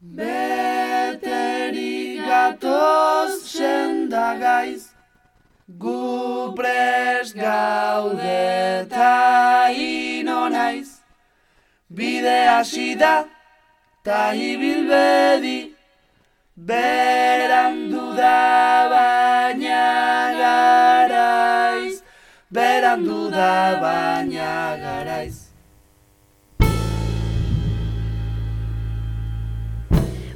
Beterik gatoz sendagaiz, gu prest gaude ta ino naiz. Bide hasi da ta ibil bedi, berandu da baina garaiz, berandu da baina garaiz.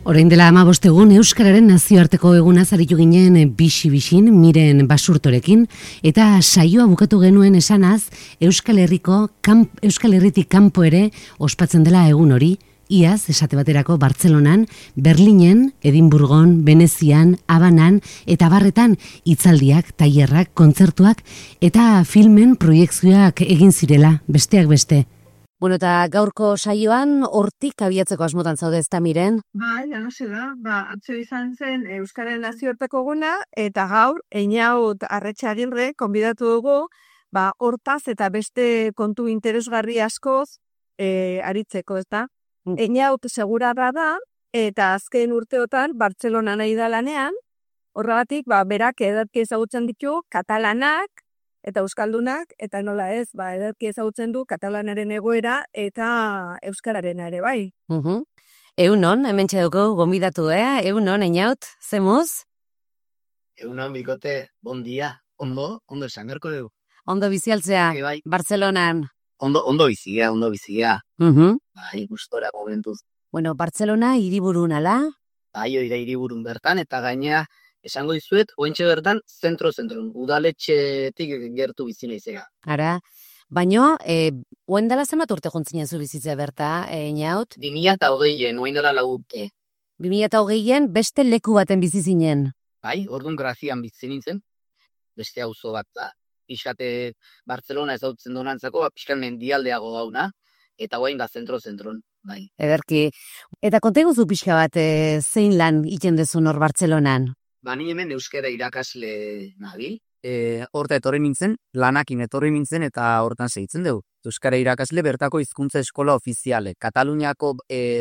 Orain dela 15 egun Euskararen nazioarteko egunaz aritu ginen bixi-bixin Miren Basurtorekin eta saioa bukatu genuen esanaz Euskal Herritik kanpo ere ospatzen dela egun hori, iaz esate baterako Bartzelonan, Berlinen, Edinburgon, Venezian, Habanan eta barretan hitzaldiak, tailerrak, kontzertuak eta filmen proiekzioak egin zirela, besteak beste. Bueno, eta gaurko saioan hortik abiatzeko asmotan zaude ezta Miren? Bai, hasi da. Atzo izan zen Euskararen nazioarteko eguna eta gaur Einaut Arretxagirre konbidatu dugu, hortaz eta beste kontu interesgarri askoz aritzeko, ezta? Einaut segurarra da eta azken urteotan Bartzelonan nahi da lanean, horregatik berak ederki ezagutzen ditu katalanak eta euskaldunak, eta nola ez, ederki ezagutzen du katalanaren egoera eta euskararena ere, bai. Egunon, hemen txeduko gonbidatu, Egunon, Einaut, zemuz? Egunon, bikote, bon dia, ondo esan gerko dugu. Ondo bizialtzea, bai. Bartzelonan. Ondo bizia. Bai, gustora momentuz. Bueno, Bartzelona hiriburun ala? Bai, oida hiriburun bertan, eta gainea, esango dizuet, oentxe bertan, zentro-zentron, udaletxetik gertu bizi naizega. Ara, baino, oendala zenbat urte jontzinen zu bizitza berta, Einaut? 2020, oendala 4 urte. 2020 beste leku baten bizi zinen. Bai, orduan Grazian bizi nintzen, beste auzo bat da. Pixkate Bartzelona ezautzen donantzako, pixkan mendialdeago gauna, eta guain da zentro-zentron. Bai. Ederki. Eta konteguzu pixka bat zein lan iten dezun hor Bartzelonan? Ni hemen euskara irakasle nabil. Horta etorri nintzen, lanakin etorri nintzen eta hortan segitzen dugu. Euskara irakasle bertako hizkuntza eskola ofiziale. Kataluniako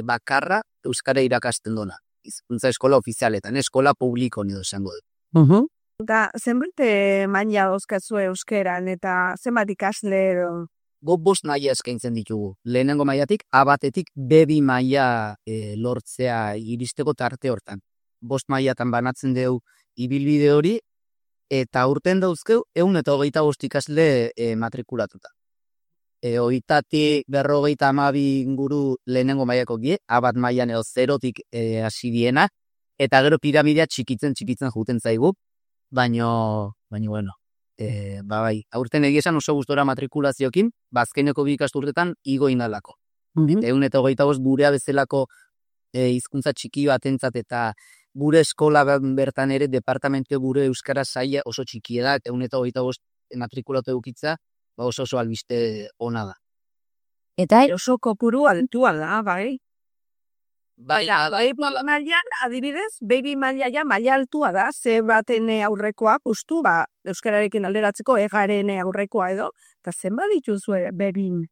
bakarra euskara irakasten dona. Hizkuntza eskola ofizialetan, eskola publiko nido esango du. Eta zenbat maila dauzkazu euskeran eta zenbat ikasle edo? Guk 5 maila eskaintzen ditugu. Lehenengo mailatik, A1-etik B2 maila lortzea iristeko tarte hortan. 5 mailatan banatzen dugu ibilbide hori, eta urten dauzkeu 125 ikasle matrikulatuta. 32 inguru lehenengo mailako gie, A1 mailan edo 0-tik hasi diena, eta gero piramidea txikitzen juten zaigu, baino bueno, bai, aurten egia esan oso gustora matrikulaziokin, azkeneko 2 ikasturtetan igo indalako. 125 gurea bezalako hizkuntza txiki batentzat eta gure eskola bertan ere departamentu gure euskara saia oso txikia da, eta 125 matrikulatu edukitza, oso albiste ona da. Eta oso kopuru altua da, bai? Bai, mailan, adibidez, baby maila maila altua da, ze baten aurrekoa, justu, euskararekin alderatzeko egaren aurrekoa edo, eta zenbat dituzue bebin?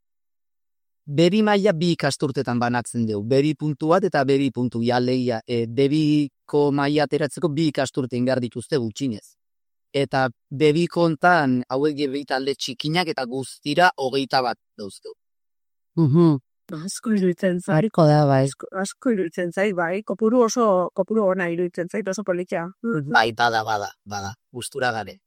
Bebi maila 2 ikasturtetan banatzen dugu. Bebi puntu bat eta bebi puntu jaleia. Bebiko maila ateratzeko 2 ikasturte ingar dituzte gutxinez. Eta bebi kontan hauek bebi talde txikinak eta guztira 21 dauzkeu. Asko iruditzen zait. Hariko da, bai. Asko iruditzen zait, bai. Kopuru ona iruditzen zait, oso politia. Bai, bada. Gustura gare.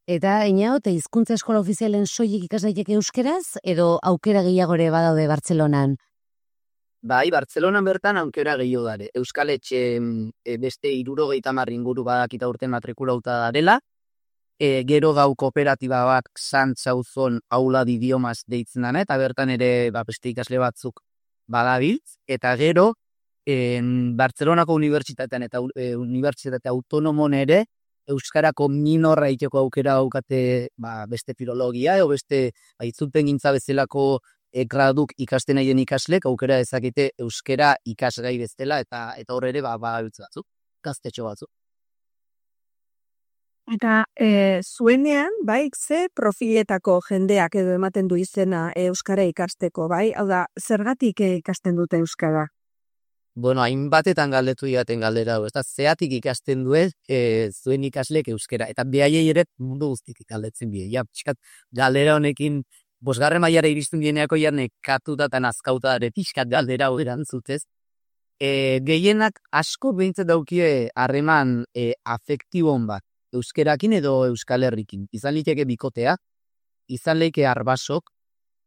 Eta Einaut, hizkuntza eskola ofizialen soilik ikas daiteke euskeraz, edo aukera gehiagore badaude Bartzelonan? Bai, Bartzelonan bertan aukera gehiago dare. Euskal Etxe beste 70 inguru badakita urten matrikulauta darela. Gero gau kooperatiba bat Santzauzon aula de idiomas deitzen dana, eta bertan ere beste ikasle batzuk badabiltz. Eta gero, Bartzelonako unibertsitatean eta unibertsitate autonomon ere, euskarako minorra iteko aukera daukate beste filologia, edo beste itzulpen gintza bezalako graduk ikasten nahi den ikaslek aukera dezakete euskara ikasgai bezala, eta hor ere badabiltz batzuk, gaztetxo batzuk. Eta zuenean, bai, ze profiletako jendeak edo ematen du izena euskara ikasteko, bai? Hau da, zergatik ikasten dute euskara? Bueno, hainbatetan galdetu diaten galdera hau, ezta zeatik ikasten duen zuen ikaslek euskera, eta behaiei ere mundu guztitik galdetzen die. Ja, pixkat, galdera honekin, bosgarren mailara iristen dieneako ja nekatuta eta nazkauta ere pixkat galdera hau erantzutez. Gehienak asko behintzat daukie harreman afektibon bat, euskerakin edo Euskal Herrikin. Izan liteke bikotea, izan leike arbasok,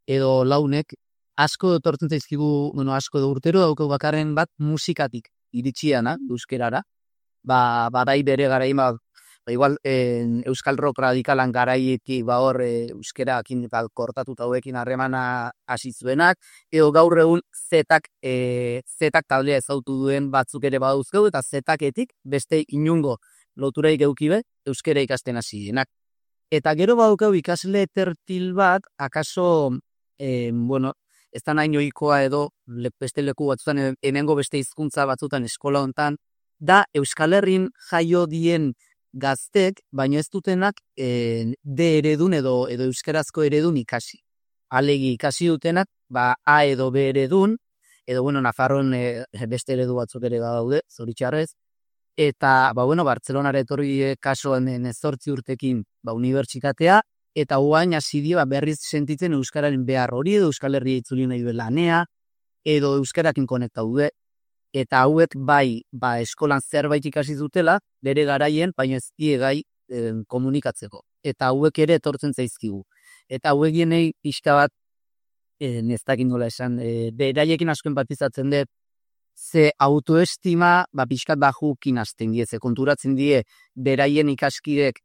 edo launek, asko etortzen zaizkigu, asko edo urtero daukau bakarren bat musikatik iritsiana, euskerara. Barai bere garain, igual Euskal Rock radikalan garaietik hor euskerakin kortatuta hauekin harremana hasi zuenak, edo gaur egun zetak taldea ezautu duen batzuk ere badauzkeu, eta zetaketik beste inungo loturaik eukibe euskera ikasten hasi dienak. Eta gero badukau ikasle tertil bat, akaso, ez da nahi ohikoa edo beste leku batzutan, hemengo beste hizkuntza batzutan eskola hontan, da Euskal Herrin jaio dien gaztek, baino ez dutenak D eredun edo euskerazko eredun ikasi. Alegi ikasi dutenak, A edo B eredun, edo Nafarroan beste eredu batzuk ere daude, zoritxarrez, eta Bartzelonara etorri kasuan 18 urtekin unibertsitatea, eta guain hasi dio berriz sentitzen euskararen behar hori, edo Euskal Herria itzuli nahi duela lanea, edo euskarakin konekta dude, eta hauek eskolan zerbait ikasi dutela, bere garaien, baina ez die gai komunikatzeko. Eta hauek ere etortzen zaizkigu. Eta hauek genei pixka bat, nestakin nola esan, beraiekin asko empatizatzen dut, ze autoestima pixkat bajukin hasten die, ze konturatzen die beraien ikaskidek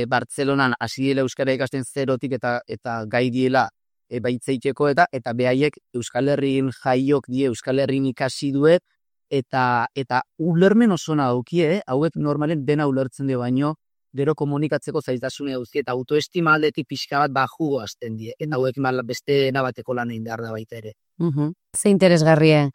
Bartzelonan hasi diela euskara ikasten zerotik eta gai diela baitzeiteko eta behaiek Euskal Herrin jaiok die Euskal Herrin ikasi duet eta ulermen osona daukie, hauek normalen dena ulertzen die baino, gero komunikatzeko zailtasune guzti eta autoestima aldetik pixka bat bajugo hasten die, eta hauek beste bateko lan egin behar da baita ere. Ze interesgarria.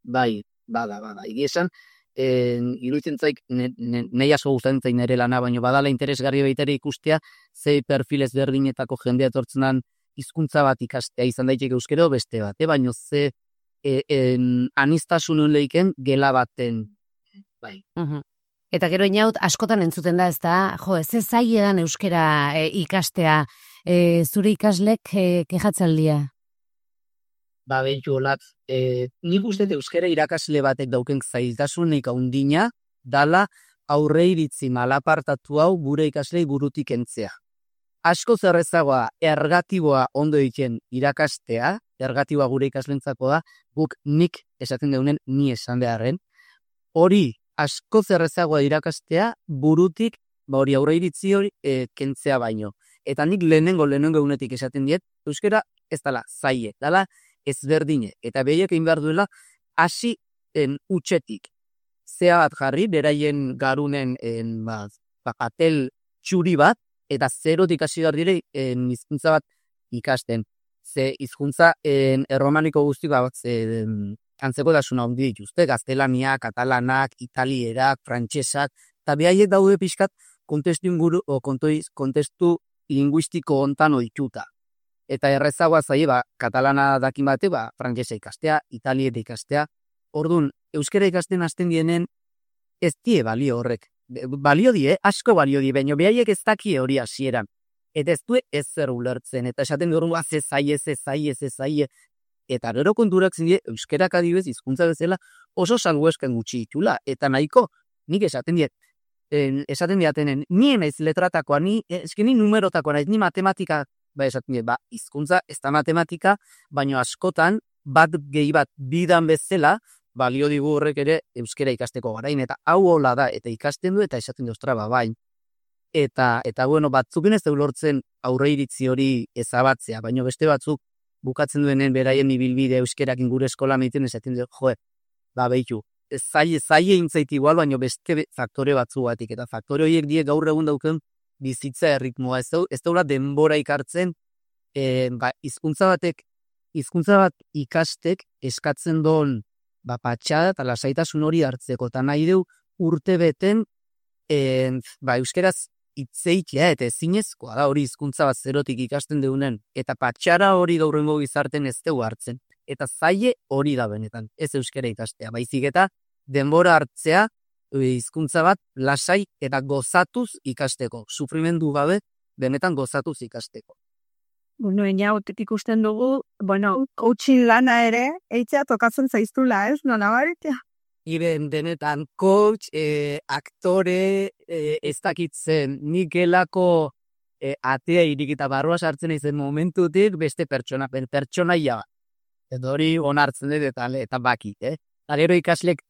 Bai, bada. Igi esan, iruditzen zaik, nahi asko gustatzen zaik nire lana, baina badala interesgarri baita ere ikustea, zei perfil ezberdinetako jendea etortzen den hizkuntza bat ikastea, izan daiteke euskero beste bat, baina ze aniztasun leiken gela baten, bai. Eta gero inaut, askotan entzuten da, ez da, ez zailedan euskera ikastea, zure ikaslek kejatzaldia? Behitu olat, nik uste euskara irakasle batek dauken zailtasunik haundina, dala aurre iritzi malapartatu hau gure ikaslei burutik entzea. Asko zerrezagoa ergatiboa ondo egiten irakastea, ergatiboa gure ikaslentzako da, guk nik esaten deunen ni esan beharren. Hori asko zerrezagoa irakastea burutik, hori aurre iritzi hori kentzea baino. Eta nik lehenengo egunetik esaten diet, euskara ez dala zaie, dala ezberdine, eta behiek egin behar duela hasi utxetik. Zea bat jarri, beraien garunen atel txuri bat, eta zerotik hasi behar dire hizkuntza bat ikasten. Ze hizkuntza erromaniko guztik antzeko dasuna handi dituzte, gaztelania, katalanak, italierak, frantsesak, eta behaiek daude pixkat kontestu linguistiko hontan ohituta. Eta errezagoa zaie, katalana dakin bate, frantsesa ikastea, italieta ikastea. Orduan, euskara ikasten hasten dienen, ez die balio horrek. Balio die, asko balio die, baina behaiek ez dakie hori hasieran. Eta ez du ez zer ulertzen, eta esaten dugu, ze zaie. Eta gero konturatzen die, euskarak adibez, hizkuntza bezala, oso salbuesken gutxi ditula. Eta nahiko, nik esaten diatenen, ni naiz letratakoa, ni numerotakoa naiz, ni matematika, esaten dira, hizkuntza ez da matematika, baina askotan, bat gehi bat bidan bezala, balio digu horrek ere euskara ikasteko garain, eta hau hola da, eta ikasten du, eta esaten du, ostra, bain. Eta batzukin ez lortzen aurre iritzi hori ezabatzea, baina beste batzuk bukatzen duenen beraien ibilbide euskerakin gure eskola meiten esaten du, behitu, zaile intzait igual, baina beste faktore batzu batik, eta faktore horiek die gaur egun dauken bizitza erritmoa, ez daula denbora ikartzen, hizkuntza bat ikastek eskatzen doon patxada eta lasaitasun hori hartzeko, eta nahi du urte beten euskeraz itzeitia eta ezinezkoa da hori hizkuntza bat zerotik ikasten deunen, eta patxara hori gaurrengo gizarten ez dugu hartzen. eta zaie hori da benetan, ez euskara ikastea, baizik eta denbora hartzea hizkuntza bat lasai eta gozatuz ikasteko, sufrimendu gabe benetan gozatuz ikasteko. Bueno, inaut ikusten dugu, coaching lana ere, eitzea tokatzen zaiztula, ez? Nola baritea? Benetan coach, aktore, ez dakitzen, nik gelako atea irikita barrua sartzen izen momentutik beste pertsonaia bat. Edo hori onartzen dut eta bakit, Gero ikaslek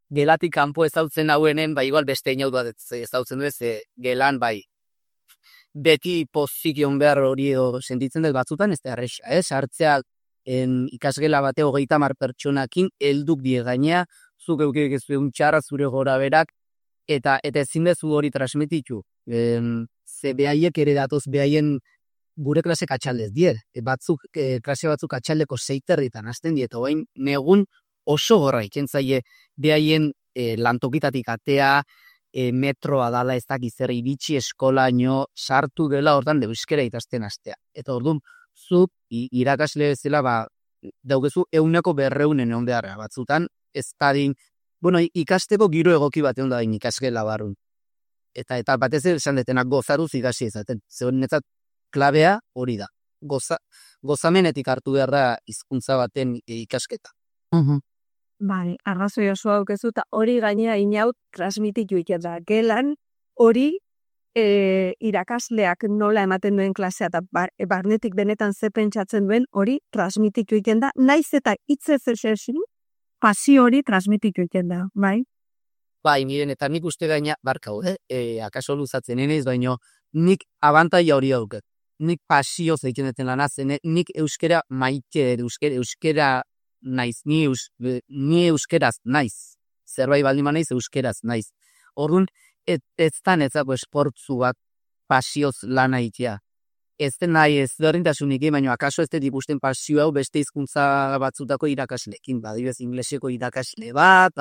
gelatik kanpo ezautzen hauenen, igual beste inaut bat ezautzen dut, gelan beti pozikion behar hori sentitzen dut batzutan, ez da erresa, sartzea ikasgela bate 30 pertsonakin helduk die gainea, zuk eukik ez txarra zure gora berak, eta ezin dezu hori transmititu. Ze behaiek ere datoz behaien gure klase katxaldez dier. Klase batzuk katxaldeko 6:30 hasten die, eta oain negun oso gorra ikentzaie behaien lantokitatik atea, metroa dala ez dakiz zer iritsi eskolaino sartu dela hortan euskara ikasten hastea. Eta orduan, zuk irakasle bezala daugezu 100% egon beharra batzutan, ez dadin, ikasteko giro egoki bat egon da ikasgela barrun. Eta batez ere esan detenak gozaruz ikasi ezaten. Zegoen netzat klabea hori da. Gozamenetik hartu behar da hizkuntza baten ikasketa. Bai, arrazoi oso aukezu, eta hori gainea inaut transmititu iken da. Gelan hori irakasleak nola ematen duen klasea, eta barnetik benetan ze pentsatzen duen hori transmititu iken da, naiz eta hitzez esesin, pasio hori transmititu iken da, bai? Bai, miren, eta nik uste gaina, barkau, akaso luzatzen enez, baino nik abantaia hori dauket. Nik pasio zeiken deten lanazen, nik euskera maite, euskera naiz, ni euskeraz naiz. Zerbait baldin naiz, euskeraz naiz. Orduan, ez da netzako esportzu bat pasioz lana itea. Ez den nahi ez derdintasunik, baina akaso ez dut ikusten pasio hau beste hizkuntza batzutako irakaslekin. Adibidez, ingleseko irakasle bat,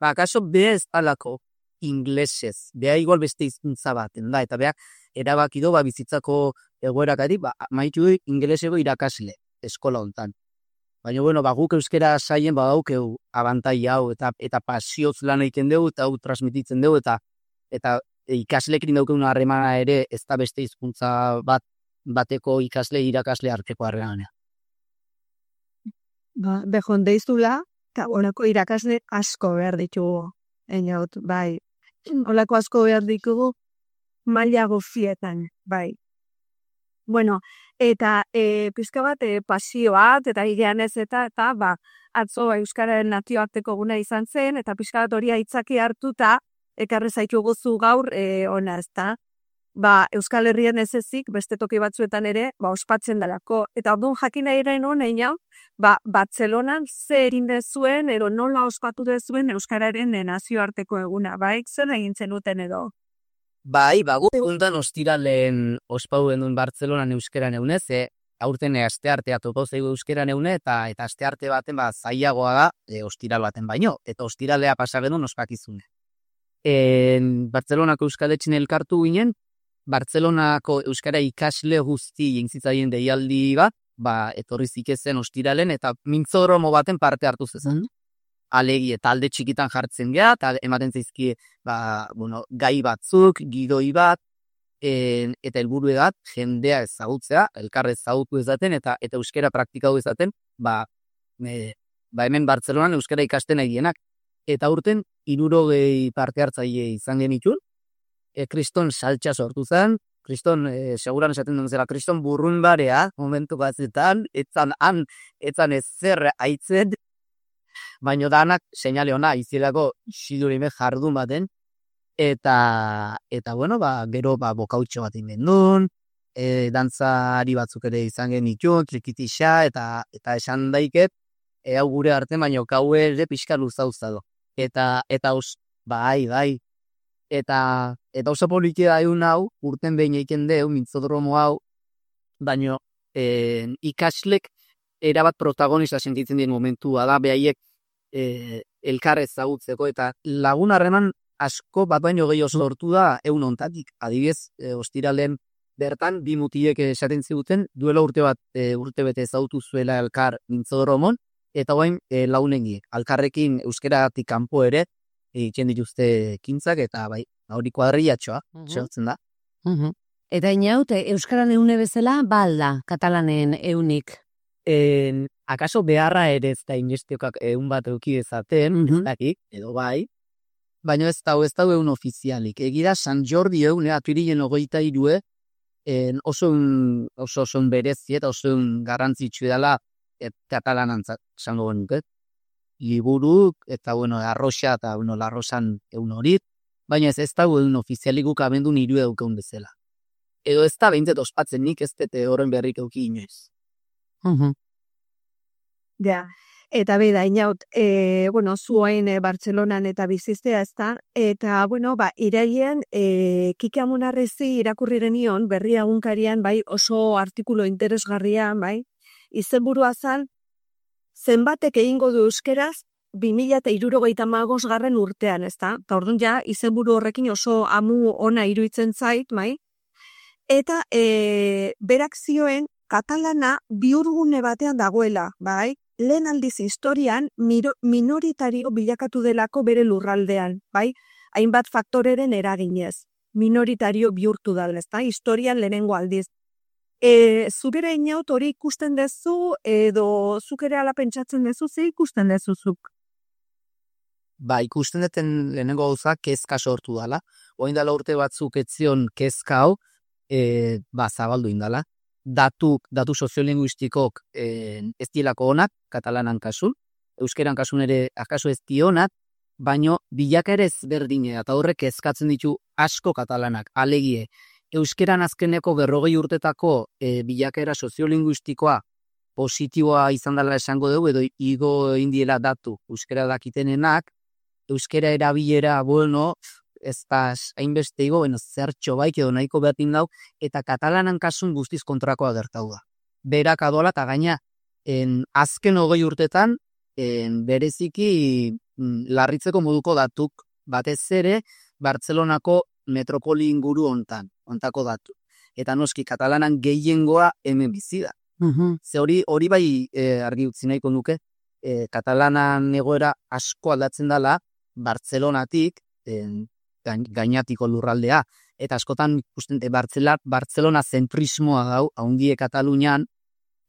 akaso beha ez dalako inglesez. Beha igual beste hizkuntza baten da, eta beha erabakido bizitzako egoerakari, maitu ingleseko irakasle eskola hontan. Baina, guk euskera saien badaukeu abantaia hau eta pasioz lan egiten dugu eta hau transmititzen dugu eta ikaslekin daukeun harremana ere ez da beste hizkuntza bateko irakasle arteko harremana. Bejon deizula, eta olako irakasle asko behar ditugu. Bai. Olako asko behar ditugu maila guztietan, bai. Bueno, eta pizka bat pasio bat, eta hilean ez eta atzo Euskararen nazioarteko eguna izan zen, eta pizka bat hori aitzaki hartuta, ekarri zaitu gozu gaur ona, ezta? Euskal Herrian ez ezik, beste toki batzuetan ere, ospatzen dalako. Eta orduan jakin nahi eren honein, Bartzelonan ze egin dezuen, edo nola ospatu dezuen Euskararen nazioarteko eguna, bai? Zer egin zenuten edo? Bai, gu egundan ostiralen ospauen duen Bartzelonan euskeran egunez, aurten asteartea topo zeigu euskeran eune, eta astearte baten zailagoa da ostiral baten baino, eta ostiralea pasagenun ospakizune. Bartzelonako euskaletxin elkartu ginen, Bartzelonako euskara ikasle guzti jentzitzaien deialdi bat, etorri zikezen ostiralen, eta mintzodromo baten parte hartu zezen. Alegi eta alde txikitan jartzen geha, eta ematen zaizki gai batzuk, gidoi bat, eta helburu edat, jendea ezagutzea, elkarre ezagutu ezaten, eta euskera praktikau ezaten, hemen Bartzelonan euskara ikasten egienak. Eta urten, 60 parte hartzaile izan genitun, kriston saltxa sortu zen, kriston, seguran esaten duen zera, kriston burrun barea, momentu batzetan, etzan ezer aitzen, baina danak seinale ona izilako xidurime jardun baten, eta gero bokautxo bat inbendun, dantzari batzuk ere izan genitun, trikitixa, eta esan daiket, hau gure arte, baina kau ere pixka luzauzado. Eta bai, eta oso poliki da egun hau, urten behin eiken deu, mintzodromo hau, baina ikaslek erabat protagonista sentitzen dien momentua da, behaiek elkar ezagutzeko, eta lagun harreman asko bat baino gehi oso lortu da egun ontatik. Adibidez, ostiralen bertan bi mutilek esaten ziguten duela urtebete ezautu zuela elkar mintzodromon, eta orain launengi, alkarrekin euskeratik kanpo ere egiten dituzte ekintzak, eta bai, hori kuadrillatxoa, segotzen da. Eta inaut, euskaran eune bezala, balda, katalanen eunik. Akaso beharra ere ez da inestiokak egun bat euki dezaten, ez dakik, edo bai, baina ez da egun ofizialik. Egira San Jordi egun, aturilen 23, oso berezi eta oso garrantzitsu dela katalanantzat, zango genuket. Liburuk, eta arroxa eta larrosan egun horit, baina ez da egun ofizialik guk abendun 3 eukeun bezala. Edo ez da 20 ospatzen nik ez dute horren berrik euki inoiz. Ja, eta beda, inaut, zuain Bartzelonan eta biziztea ez da, eta, iraien, Kike Amonarrezi irakurriren ion, berri egunkarian, bai, oso artikulo interesgarrian, bai, izenburua zan, zenbatek egingo du euskeraz, 2065 urtean, ez da? Eta orduan ja, izenburu horrekin oso amu ona iruditzen zait, bai? Eta berak zioen katalana bihurgune batean dagoela, bai? Lehen aldiz historian minoritario bilakatu delako bere lurraldean, bai? Hainbat faktoreren eraginez. Minoritario bihurtu da, ezta? Historian lehenengo aldiz. Zubera inaut hori ikusten dezu, edo zuk ere ala pentsatzen dezu, ze ikusten dezuzuk? Ba, ikusten duten lehenengo gauza kezka sortu dala. Oain dala urte batzuk etzion kezka hau, zabaldu indala. Datu soziolinguistikok ez dielako onak, katalanan kasun, euskeran kasun ere akaso ez dionak, baino bilaka ere ezberdine, eta horrek kezkatzen ditu asko katalanak, alegie. Euskeran azkeneko 40 urtetako bilakaera soziolinguistikoa positiboa izan dela esango dugu, edo igo indiela datu euskera dakitenenak, euskera erabilera, ez da hainbeste igo, zertxo baik edo nahiko behatin dau, eta katalanan kasun guztiz kontrakoa gertau da. Berak adola, eta gaina, azken 20 urtetan, bereziki larritzeko moduko datuk, batez ere, Bartzelonako metropoli inguru ontako datu. Eta noski, katalanan gehiengoa hemen bizi da. Ze hori bai argi utzi nahiko nuke, katalanan egoera asko aldatzen dela, Bartzelonatik, gainatiko lurraldea, eta askotan ikusten Bartzelona zentrismoa dau, haundie Katalunian,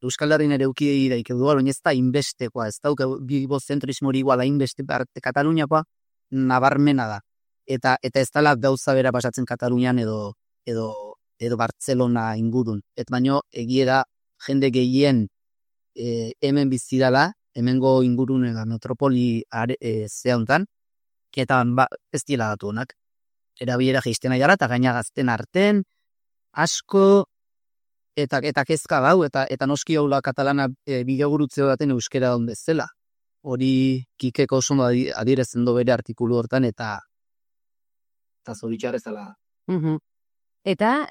Euskal Herrin ere uki daik edu, ez da inbestekoa, ez da bibo zentrismori iguala inbeste Kataluniakoa, nabarmena da. Eta ez dela gauza bera pasatzen Katalunian edo Bartzelona ingurun. Et baino egiera jende gehien hemen bizidala, hemengo ingurun eta metropoli zehauntan, eta ez dira datu honak. Erabilera geizten aiara eta gaina gazten arten, asko, eta kezka gau, eta noski haula katalana bideogurutzeo daten euskera onde zela. Hori Kikeko oso adirezen do bere artikulu hortan, eta zoritxarrez zela. Eta,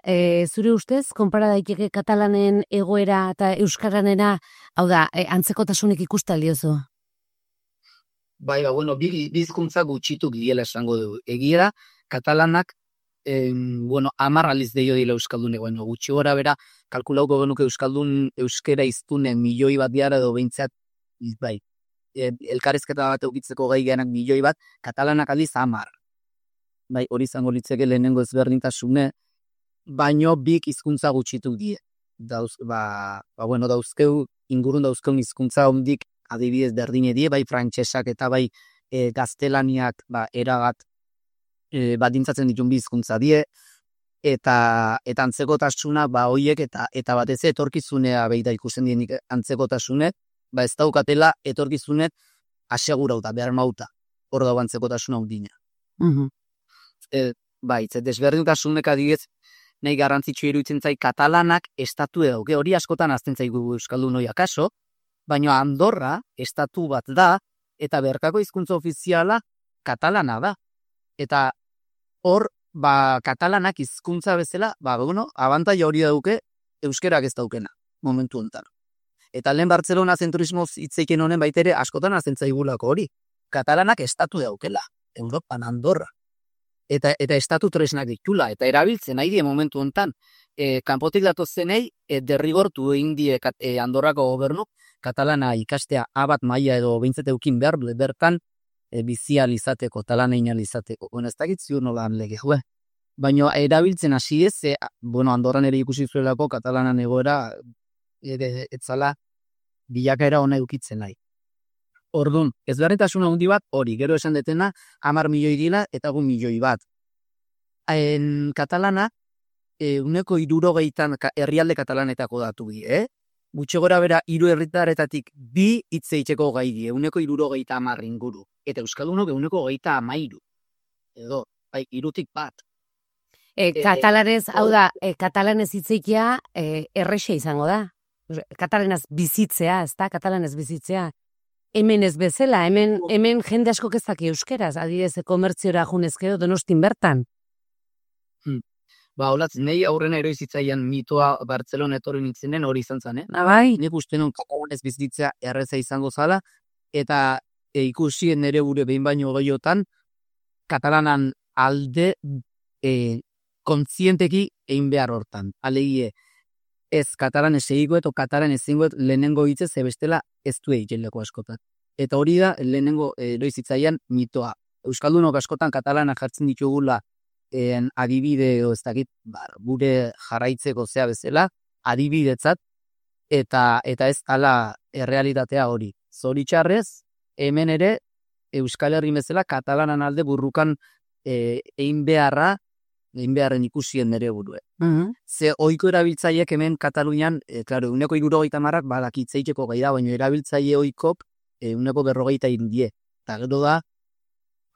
zure ustez, konpara daiteke katalanen egoera eta euskaranera, hau da, antzekotasunik ikusten diozu? Bai, bizkuntza gutxitu giela esango dugu. Egiera, katalanak, 10 aliz deio dila euskaldun egoen. Gutxi gora bera, kalkulauko genuke euskera iztunen milioi bat diara edo behintzat, bai, elkarrezketa bat eukitzeko gai genak milioi bat, katalanak aliz 10. Bai, hori izango litzeke lehenengo ezberdintasune, baino bik hizkuntza gutxitu die. Dauzkeu, ingurun dauzkeun hizkuntza hondik adibidez berdine die, bai frantsesak eta bai gaztelaniak eragat badintzatzen ditun bi hizkuntza die, eta antzekotasuna hoiek eta batez etorkizunea beida ikusten dienik antzekotasune, ez daukatela etorkizunet asegurauta, behar mauta, hor dago antzekotasuna hundina. Desberdintasunek adibidez, nahi garrantzitsu iruditzen zai katalanak estatu dauke, hori askotan azten zaigu euskaldun hori akaso, baina Andorra estatu bat da, eta berkako hizkuntza ofiziala katalana da. Eta hor, katalanak hizkuntza bezala, abantaila hori dauke euskerak ez daukena, momentu honetan. Eta lehen Bartzelona zentrismoz hitzeiken honen baitere askotan azten zaigulako hori. Katalanak estatu daukela, Europan Andorra. Eta estatu tresnak ditula, eta erabiltzen nahi die momentu honetan. kanpotik datozenei derrigortu egin die Andorrako gobernu katalana ikastea A1 maila edo behintzat eukin behar bertan bizial izateko, talanein izateko. Bueno, ez dakit ziur nolan lege, baina erabiltzen hasi ez, Andorran ere ikusi zuelako katalanan egoera etzala bilakaera ona eukitzen nahi. Orduan, ezberdintasun handi bat hori, gero esan detena 10 milioi dira eta 1 milioi bat. Katalana, 60 herrialde katalanetako datu bi, Gutxe gora bera 3 herritarretatik 2 hitz egiteko gai die, 60 inguru. Eta euskaldunok 30 edo, bai, 3tik bat. Katalanez, hau da, katalanez hitzeikia errexe izango da. Katalanez bizitzea, ez da, katalanez bizitzea. Hemen ez bezala, hemen jende asko kezak euskeraz, adidez, komertziora junezkeo donostin bertan. Olatz, nahi aurrena eroizitzaian mitoa Bartzelona etorri nintzenen hori izan zen, Bai. Nik uste non katalanez bizitzea erreza izango zala, eta ikusien nere gure behin baino gehiotan, katalanan alde kontzienteki egin behar hortan. Alegie, ez katalanez egiko eto katalanez egingoet lehenengo hitzez ebestela ez du egiten leko askotan. Eta hori da lehenengo eroizitzaian mitoa. Euskaldunok askotan katalana jartzen ditugula adibide edo ez dakit, gure jarraitzeko zea bezala, adibidetzat, eta ez ala errealitatea hori. Zoritxarrez, hemen ere, Euskal Herri bezala, katalanan alde burrukan egin beharren ikusien nere burue. Ze oiko erabiltzaiek hemen Katalunian, klaro, 60 badakitzeiteko gai da, baina erabiltzaile oikok 40 Eta gero da,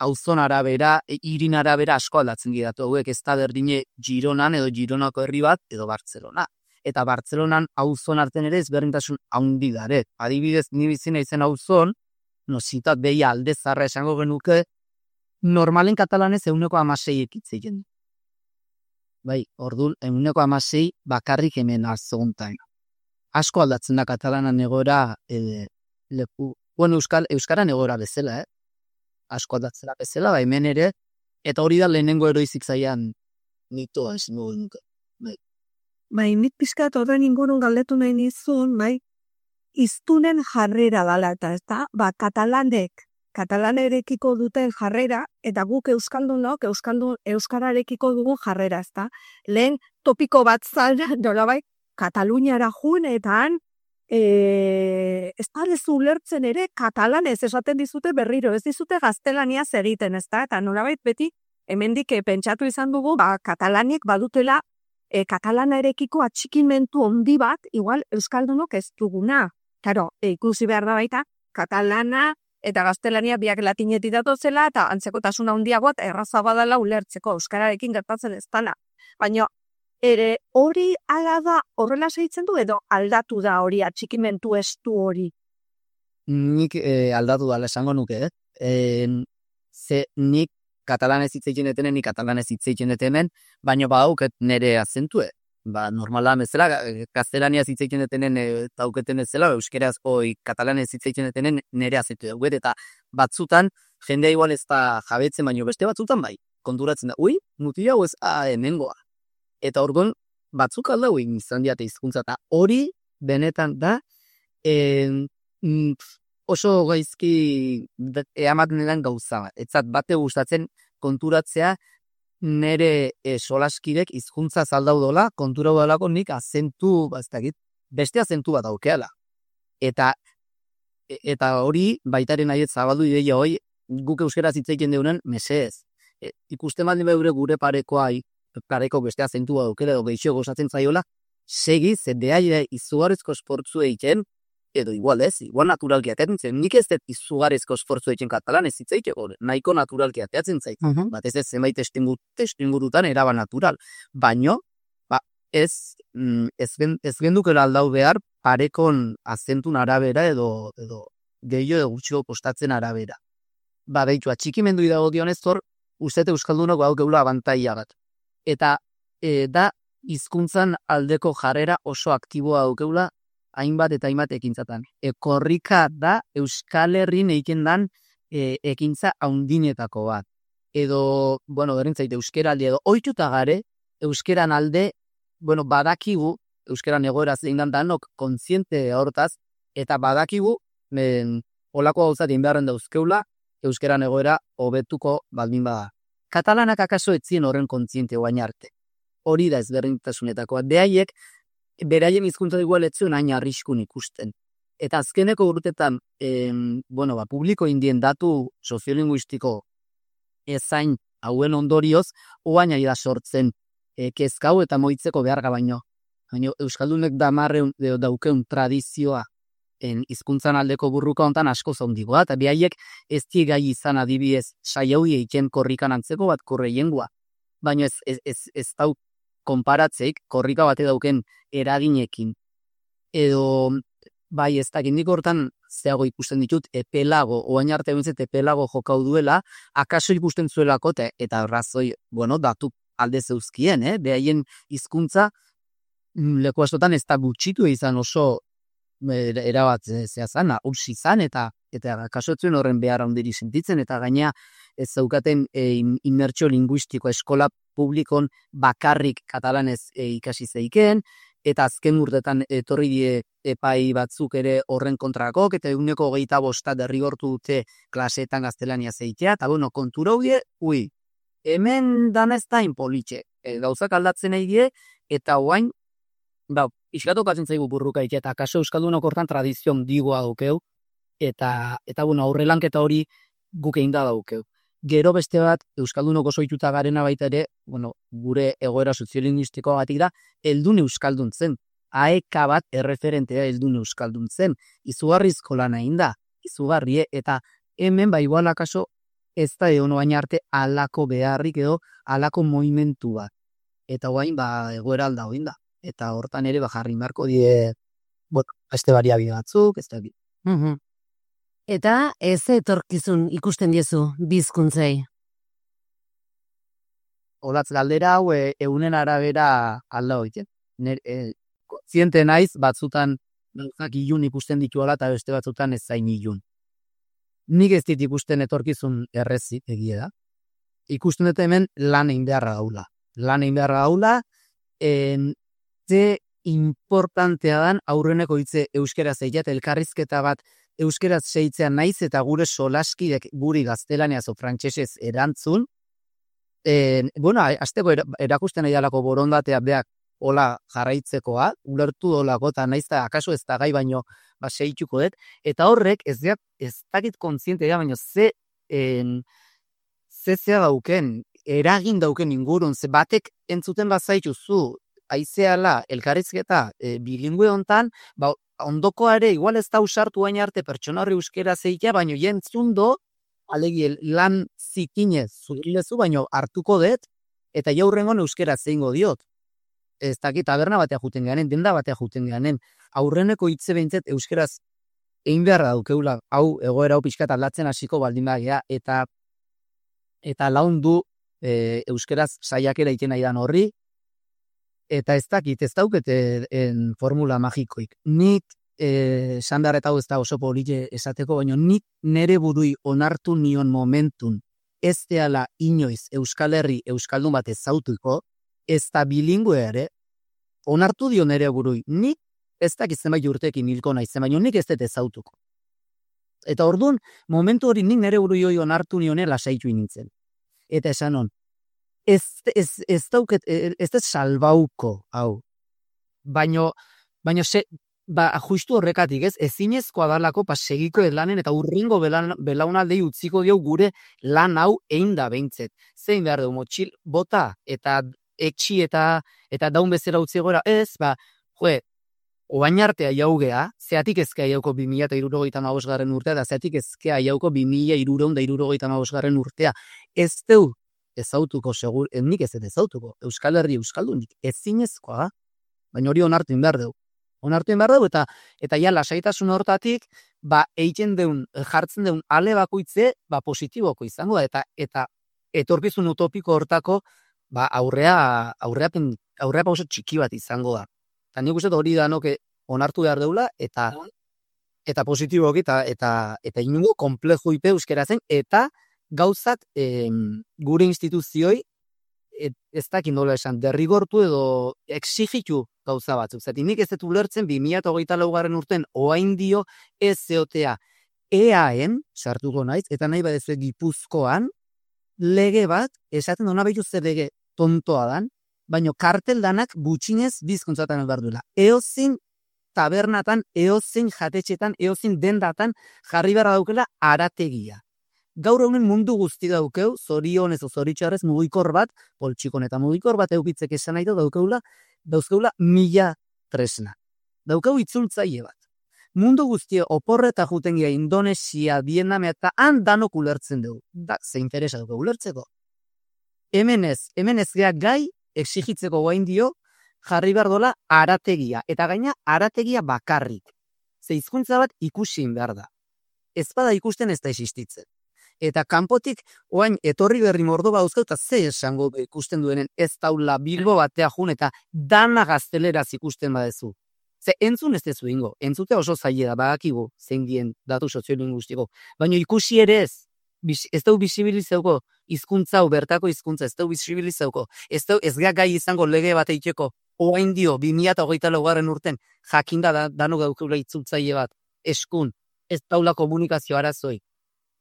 auzon arabera, hirin arabera asko aldatzen didatu hauek, ez da berdine Gironan edo Gironako herri bat edo Bartzelona. Eta Bartzelonan auzon arten ere ezberdintasun handi dare. Adibidez, ni bizina izen auzon, zitat behi alde zarra esango genuke, normalen katalanez 16 ekitzeien. Bai, orduan, 16 bakarrik hemen azoguntain. Asko aldatzen da katalanan egoera leku. Bueno, euskaran egoera bezala, asko aldatzera bezala, bai, hemen ere, eta hori da lehenengo eroizik zaian mitoa, ez nuke. Bai, nik pixkat horren ingurun galdetu nahi nizun, bai, iztunen jarrera dala, eta ez da, katalanerekiko duten jarrera, eta guk euskaldunok, euskararekiko dugun jarrera, ez da. Lehen topiko bat zara, dola bai, Kataluniara jun, eta han, ez da lezu ulertzen ere, katalanez esaten dizute berriro, ez dizute gaztelaniaz egiten, ez da, eta nolabait beti, hemendik pentsatu izan dugu, katalaniek badutela, katalanarekiko atxikimentu handi bat, igual euskaldunok ez duguna. Claro, ikusi behar da baita, katalana eta gaztelania biak latinetik datozela, eta antzekotasun handiagoat erraza badala ulertzeko, euskararekin gertatzen ez dela. Baina, ere hori ala da horrela segitzen du, edo aldatu da hori atxikimentu estu hori? Nik aldatu dala esango nuke, ze nik katalanez hitzeiten etenen, nik katalanez hitzeiten etenen, baina badauket nere azentue. Normala bezala, gaztelaniaz hitzeiten etenen dauketen ezela, euskeraz katalanez hitzeiten etenen nere azentu dauket, eta batzutan, jendea igual ez da jabetzen, baina beste batzutan bai, konturatzen da, mutia hau ez, hemengoa. Eta orduan, batzuk aldau egin izan diate hizkuntza, eta hori benetan da, oso gaizki ematen den gauza bat. Etzat bate gustatzen konturatzea nere solaskidek hizkuntza zaldau dola, kontura udalako nik azentu, beste azentu bat aukeala. Eta hori baitaren nahiet zabaldu ideia hoi, guk euskeraz hitzeiten deunen, meseez. Ikusten baldin behure gure pareko beste azentua aukela edo geixo gozatzen zaiola, segi, zendeai izugarrizko esportzu egiten, edo igual naturalki ateatzen, nik ez dut izugarrizko esfortzu egiten katalan ez hitzeiteko, nahiko naturalki ateatzen zait. Bat ez zenbait testuingurutan eraba natural. Baino, ez gendukela aldau behar parekon azentun arabera edo gehiago edo gutxiko kostatzen arabera. Behitu, atxikimendu idago dionez hor, ustete euskaldunok hau geula abantaia bat. Eta da hizkuntzan aldeko jarrera oso aktiboa daukeula hainbat eta hainbat ekintzatan. Korrika da Euskal Herrin egiten dan ekintza haundinetako bat. Edo, berintzait, euskeraldi edo oituta gare, euskeran alde badakigu, euskeran egoera zein danok kontziente hortaz, eta badakigu, olako gauzat inbeharren dauzkeula, euskeran egoera hobetuko baldin bada. Katalanak akaso etzien horren kontziente oain arte. Hori da ezberdintasunetakoa. Beraien hizkuntza igual etzuen hain arriskun ikusten. Eta azkeneko urtetan, publiko indien datu soziolinguistiko ezain hauen ondorioz, oain ari da sortzen kezkau eta moitzeko beharga baino. Euskaldunek daukeun tradizioa hizkuntzan aldeko burruka hontan asko zaundigoa, eta behaiek ez gai izan adibidez saiaui eiken korrikan antzeko bat korreiengua. Baina ez dau konparatzeik korrika bate dauken eraginekin. Edo, bai ez dakindik hortan zeago ikusten ditut epelago, oain arte bintzet epelago jokau duela, akaso ikusten zuelako, eta razoi, datu alde zeuzkien, behaien hizkuntza leku askotan ez da gutxitu izan oso erabat zehazan, ursi izan, eta kasoetzuen horren behar handiri sentitzen, eta gaina ez zaukaten inmertsio linguistiko eskola publikon bakarrik katalanez ikasi zeiken, eta azken urtetan etorri die epai batzuk ere horren kontrakok, eta 125 derrigortu dute klaseetan gaztelania zeitea, eta kontura hudie, hemen danez da inpolitxe, gauzak aldatzen nahi die, eta oain, iskatokatzen zaigu burrukaik, eta kaso euskaldunok hortan tradizio digoa daukeu, eta aurrelanketa hori guk egin da daukeu. Gero beste bat, euskaldunok oso ituta garena baita ere, gure egoera soziolinguistikoa batik da, heldun euskalduntzen. Aeka bat erreferentea heldun euskalduntzen. Izugarrizko lan egin da, izugarrie, eta hemen igual akaso ez da egon baina arte alako beharrik edo alako moimentu bat. Eta guain egoera alda hoin da. Eta hortan ere jarri marko die, beste bariabide batzuk, ez da. Eta ez etorkizun ikusten diezu bizkuntzei? Olatz galdera hau eunen arabera alda hoiten. Ziente naiz, batzutan gauzak ilun ikusten dituala eta beste batzutan ez zain ilun. Nik ez dit ikusten etorkizun errezik egia da. Ikusten dut hemen lan egin beharra gaula. Lan egin beharra gaula, ze importantea dan aurreneko hitze euskera zeiat, elkarrizketa bat euskeraz seitzea naiz eta gure solaskidek guri gaztelaniaz o frantsesez erantzun. Azteko erakusten nahi dalako borondatea beak hola jarraitzekoa, ulertu dolako eta naiz eta akaso ez da gai baino seituko dut, eta horrek ez dakit kontzientea baino zea dauken, eragin dauken ingurun, ze batek entzuten bazaitu zu, aizeala elkarrizketa bilingue hontan, ondokoare igual ez da usartu baina arte pertsona horri euskera zeitea, baino jentzundo, alegi lan zikinez zurilezu, baino hartuko dut, eta jaurrengon euskera zeingo diot. Ez dakit taberna batea juten geanen, denda batea juten geanen, aurreneko hitze behintzet euskeraz egin beharra daukeula, hau egoera hau pixkat aldatzen hasiko baldin bagea, eta laundu euskeraz saiakera iten nahi dan horri, eta ez dakit, ez daukete formula magikoik. Nik, esan behar eta hau ez da oso polite esateko, baina nik nere burui onartu nion momentun ez deala inoiz Euskal Herri Euskaldun bat ezautuko, ez da bilingue ere, onartu dio nere burui. Nik ez dakit zenbait urtekin hilko naizen, baina nik ez dut ezautuko. Eta orduan, momentu hori nik nere burui hori onartu nionela lasaitu nintzen. Eta esan hon, ez dut salbauko, hau. Baina justu horrekatik ez, ezinezkoa dalako segiko lanen eta urringo belaunaldei utziko dio gure lan hau egin da behintzet. Zein behar dugu, motxil, bota eta etxi eta daun bezera utzi gora, ez, oain artea jaugea, zeatik ezkea jauko 2065 urtea, da zeatik ezkea jauko 2365 urtea. Ez deu ezautuko segur, nik ez ezautuko, Euskal Herri Euskaldunik, ezinezkoa, baina hori onartu behar dugu. Onartu behar dugu, eta ja lasaitasun hortatik, egiten deun, jartzen deun ale bakoitze, positiboko izango da, eta etorkizun utopiko hortako, aurrea pauso txiki bat izango da. Eta nik uste hori da noke onartu behar deula, eta positiboki, eta inungo komplejo ipe euskera zen, eta gauzak gure instituzioi ez dakit nola esan, derrigortu edo exigitu gauza batzuk. Zati nik ez dut ulertzen 2024 urten oain dio ez zeotea EAen, sartuko naiz, eta nahi badezue Gipuzkoan, lege bat, esaten dona behitu zer lege tontoa dan, baino kartel danak gutxinez bizkontzatan behar duela. Eozin tabernatan, eozin jatetxetan, eozin dendatan jarri behar daukela arategia. Gaur honen mundu guzti daukeu, zorionez o zoritxarrez mugikor bat, poltsikon eta mugikor bat eukitzek esan nahi dauzkeula 1000 tresna. Daukeu itzultzaile bat. Mundu guztia oporreta jutengia Indonesia, Vietnam eta han danok ulertzen dugu. Da, ze interesa dugu ulertzeko. Hemen ez gea gai exigitzeko guain dio jarri behar dola arategia. Eta gaina arategia bakarrik. Ze hizkuntza bat ikusin behar da. Ez bada ikusten ez da existitzen. Eta kanpotik oain etorri berri Mordoba dauzkau eta ze esango ikusten duenen ez taula Bilbo batea jun eta dana gazteleraz ikusten badezu. Ze entzun ez dezu ingo, entzutea oso zaila da, badakigu zein dien datu soziolinguistiko. Baina ikusi ere ez dau bisibilizauko hizkuntza hau bertako hizkuntza, ez dau bisibilizauko, ez gea gai izango lege bat eiteko, oain dio 2024 urten jakinda danok daukela itzultzaile bat, eskun, ez taula komunikazio arazoi.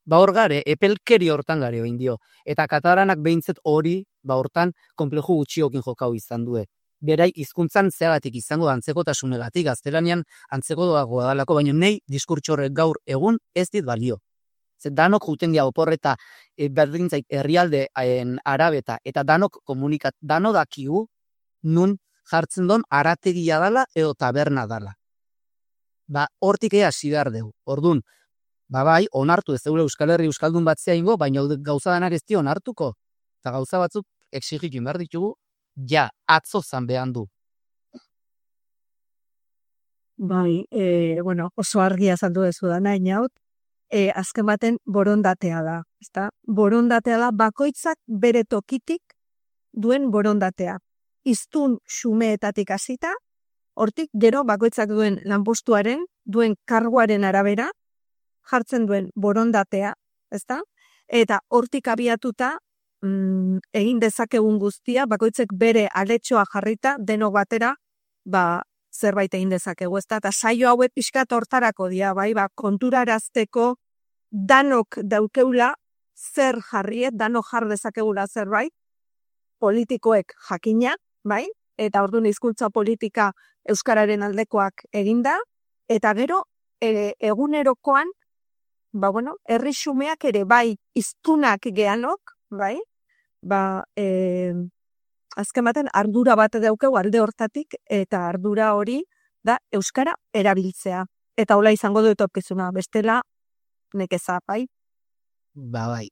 Ba hor gare, epelkeri hortan gare oin dio. Eta katalanak behintzet hori, ba hortan, konpleju gutxiokin jokau izan due. Berai, hizkuntzan zeagatik izango da antzekotasunegatik, gaztelanian antzeko doagoa dalako, baina nei diskurtxorrek gaur egun ez dit balio. Zer danok juten dia oporreta berdintzaik herrialde arabeta, eta danok komunikat, dano dakigu nun jartzen don arategia dala edo taberna dala. Ba, hortik hasi behar dugu. Ordun, ba bai, onartu ez zeure Euskal Herri Euskaldun batzea ingo, baina gauza danak ez dio onartuko. Eta gauza batzuk exigitu behar ditugu, ja, atzo zanbean du. Bai, oso argia azaldu dezu da, nahi naut, azken baten borondatea da, ezta? Borondatea da, bakoitzak bere tokitik duen borondatea. Iztun xumeetatik hasita, hortik gero bakoitzak duen lanpostuaren, duen karguaren arabera, jartzen duen borondatea, ezta? Eta hortik abiatuta, egin dezakegun guztia, bakoitzek bere aletxoa jarrita, denok batera, zerbait egin dezakegu, ezta? Eta saio hauek pixkat hortarako dira, bai, konturarazteko danok daukeula zer jarriet, danok jar dezakegula zerbait, politikoek jakina, bai? Eta orduan hizkuntza politika euskararen aldekoak eginda, eta gero egunerokoan, herri xumeak ere bai hiztunak geanok, bai? Azken baten ardura bat daukegu alde hortatik, eta ardura hori da euskara erabiltzea. Eta hola izango du etorkizuna, bestela nekeza, bai? Bai.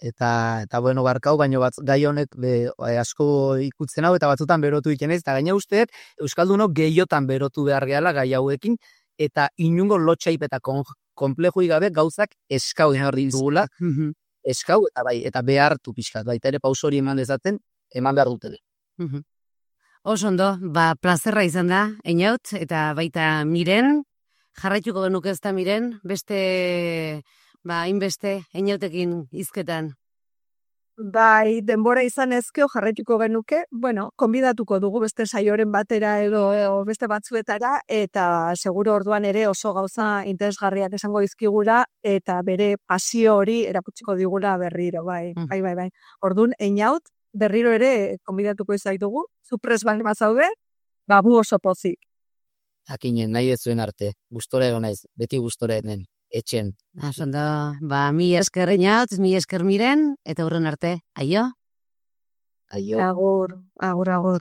Eta barkau, baino gai honek asko ikutzen hau, eta batzutan berotu ikenez, eta gaina usteet, euskaldunok gehiotan berotu behar gehala gai hauekin, eta inungo lotxaip eta konplejui gabe gauzak eskau jarri dugula, eskau, eta behartu pixkat, baita ere paus hori eman dezaten, eman behar dutele. Oso ondo, plazerra izan da, Einaut, eta baita Miren, jarraituko genuke ez da Miren, beste, hainbeste, Einautekin hizketan. Bai, denbora izan ezkeo jarraituko genuke, konbidatuko dugu beste saioren batera edo beste batzuetara, eta seguro orduan ere oso gauza interesgarriak esango dizkigula, eta bere pasio hori erakutsiko digula berriro, bai. Orduan, Einaut, berriro ere konbidatuko izaitugu, zu prest bazaude, bu oso pozik. Akinen, nahi ez zuen arte, gustora egon naiz, beti gustora enen, etxen. Asondo, mi esker Einaut, mi esker Miren, eta hurren arte, aio? Aio. Agur.